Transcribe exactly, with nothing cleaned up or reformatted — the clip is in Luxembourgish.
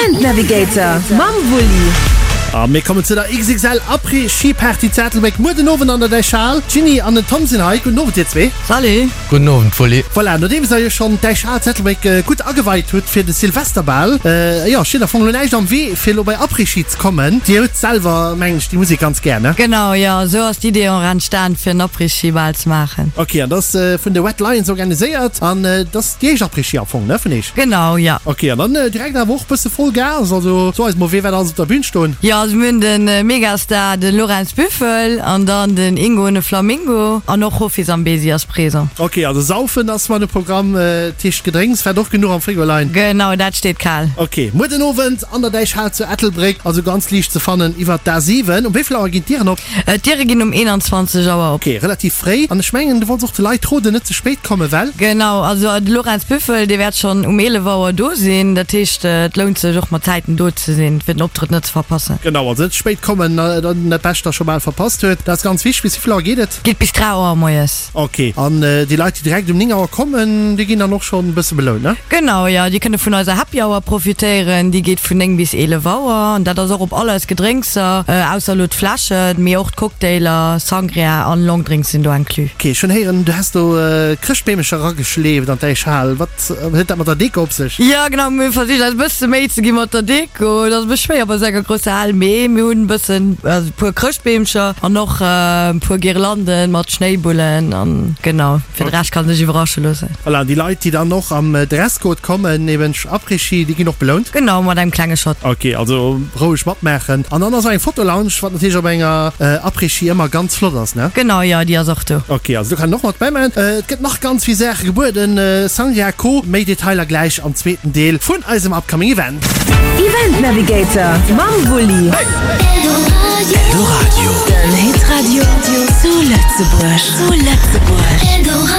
Event Navigator mam Wulli. A mir kommen zu der X X L Après-Ski Party zu Ettelbréck muer den Owend an der Däichhal. D'Jeanny an den Tom sinn hei. Gudden Owend dir zwee. Salut. Gudden Owend Wulli. Voilà, nodeems der jo schonn d'Däichhal zu Ettelbréck gutt ageweit hutt fir de Silvesterbal, jo, steet am Fong elo näischt am Wee fir elo bei Après-Ski ze kommen. Dir hutt selwer, mengen ech, déi Musek ganz gär, ne? Genau, jo, esou ass d'Idee och entstan fir en Après-Ski-Bal ze maachen. Ok, an dat ass vun de Red Lions organiséiert an dat ass déi éischt Après-Ski am Fong, ne, vun eech? Genau, jo. Ok, an dann direkt awer och bësse voll Gas, also so eis mol, wee wäert alles op der Bühn stoen? Jo, also mir hunn de Megastar, de Lorenz Büffel an dann den Ingo ne Flamingo an och Hofi Zambezi ass présent. Ok, also saufen ass mat um Programm, dat heescht Gedrénks wäert och genuch am Frigo leien? Genau, dat steet kal. Ok, muer den Owend an der Däichhal zu Ettelbréck, also ganz liicht ze fannen iwwert d'A siwen. Um wéi vill Auer ginn d'Dieren op? D'Diere ginn um eenanzwanzeg Auer op. Ok, relativ fréi. An ech mengen, du wollts och de Leit roden, net ze spéit kommen, well? Genau, also de Lorenz Büffel, dee wäert schonn um eelef Auer do sinn. Dat heescht, et lount sech och mat Zäiten do ze sinn, fir den Optrëtt net ze verpassen. Genau, also net ze spéit kommen, dann dat Bescht da scho bal verpasst huet. Dat ass ganz wichteg. Bis wéi vill Auer geet et? Geet bis dräi Auer moies. Ok, an déi Leit, déi direkt um néng Auer kommen, déi ginn dann och schonn e bësse belount, ne? Genau, jo, déi kënne vun eiser Happy Hour profitéieren. Déi geet vun néng bis eelef Auer an dat ass och op all eis Gedrénkser, ausser elo d'Fläschen, mee och d'Cocktailer, Sangria an Longdrinks sinn do inclus. Ok, ech hunn héieren, du häss do Chrëschtbeemecher erageschleeft an d'Äichhal. Wat huet dat mat der Deko op sech? Jo, genau, mir hu versicht eis e bësse Méi ze gi mat der Deko. Et ass e bësse schwéier bei esou enger grousser Hal, mee mir hunn e bëssen, also e puer Chrëschtbeemcher an och e puer Girlanden mat Schnéibullen an genau, fir de Rescht kann sech iwwerrasche loossen. Voilà, an déi Leit, déi dann och am Dresscode kommen, eben Après-Ski, déi ginn och belount? Genau, mat engem klenge Shot. Ok, also roueg matmaachen. An dann ass och eng Fotolounge, wat natierlech op enger Après-Ski ëmmer ganz flott ass, ne? Genau, jo, déi ass och do. Ok, also do kann een och mat bäimaachen. Et gëtt nach ganz vill Saache gebueden, Sangria, Co. Méi Detailer gläich am zweeten Deel vun eisem upcoming Event. Event Navigator mam Wulli. Eldoradio. Den Hitradio zu Lëtzebuerg. Zu Lëtzebuerg.